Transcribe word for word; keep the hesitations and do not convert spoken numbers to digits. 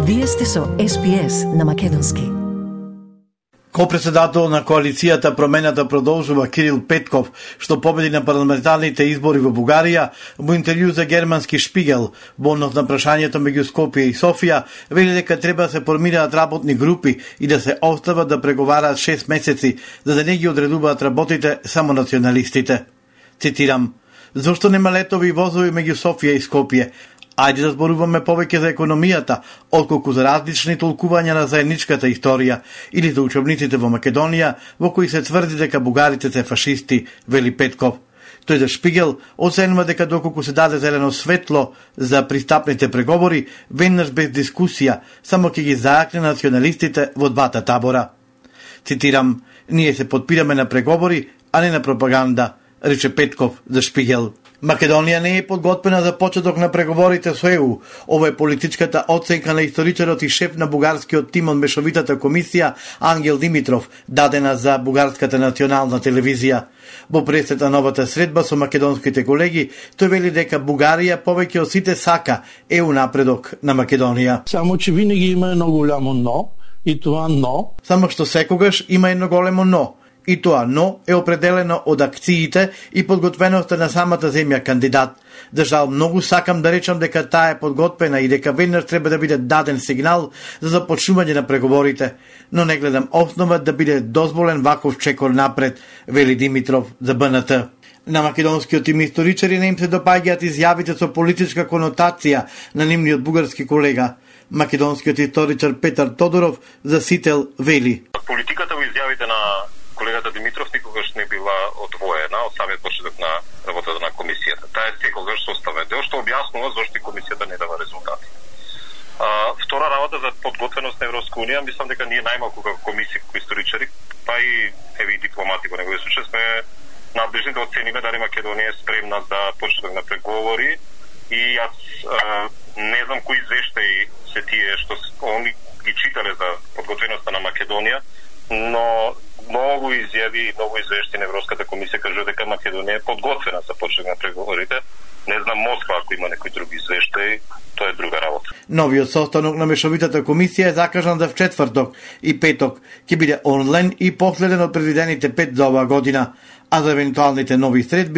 Вие сте со Ес Би Ес на Македонски. Ко-председател на коалицијата Промената продолжува Кирил Петков, што победи на парламентарните избори во Бугарија, во интервју за германски Шпигел, во однос на прашањето меѓу Скопје и Софија, вели дека треба да се формираат работни групи и да се остават да преговараат шест месеци, за да не ги одредуваат работите само националистите. Цитирам: "Зошто нема летови и возови меѓу Софија и Скопје? Ајде да зборуваме повеќе за економијата, отколку за различни толкувања на заедничката историја или за учебниците во Македонија, во кои се тврди дека бугарите се фашисти", вели Петков. Тој за Шпигел оценува дека доколку се даде зелено светло за пристапните преговори, веднаш без дискусија, само ќе ги заакне националистите во двата табора. Цитирам: "Ние се подпираме на преговори, а не на пропаганда", рече Петков за Шпигел. Македонија не е подготвена за почеток на преговорите со Е У. Ова е политичката оценка на историчарот и шеф на бугарскиот тим од Мешовитата комисија Ангел Димитров, дадена за бугарската национална телевизија. Во пресет на новата средба со македонските колеги, тој вели дека Бугарија повеќе од сите сака Е У напредок на Македонија. Само че винаги има едно голямо но, и тоа но. Само што секогаш има едно големо но. И тоа но е определено од акциите и подготвеноста на самата земја кандидат. За жал, многу сакам да речам дека таа е подготвена и дека веднаш треба да биде даден сигнал за започнување на преговорите, но не гледам основа да биде дозволен ваков чекор напред, вели Димитров за Б Н Т. На македонскиот тим историчари не им се допаѓаат изјавите со политичка конотација на нивниот бугарски колега. Македонскиот историчар Петар Тодоров за Сител вели: "Политиката во изјавите на колегата Димитров никогаш не била одвоена од самиот почеток на работата на комисијата. Таа е секогаш составен дел, што објаснува зошто комисијата не дава резултати. А, втора работа за подготвеност на Европска унија, мислам дека ние најмалку како комисија, како историчари, па и еви дипломати во неговиот случај сме надлежни да оцениме дали Македонија е спремна за почеток на преговори, и јас а, не знам кои извештаи се тие што они ги читале за подготвеноста на Македонија, но многу изјави и многу извешти на Европската комисија кажува дека Македонија е подготвена за почеток на преговорите. Не знам Москва ако има некои други извештаи, тоа е друга работа. Новиот состанок на Мешовитата комисија е закажан за вчетврток и петок. Ќе биде онлайн и последен од предвидените пет за оваа година, а за евентуалните нови средби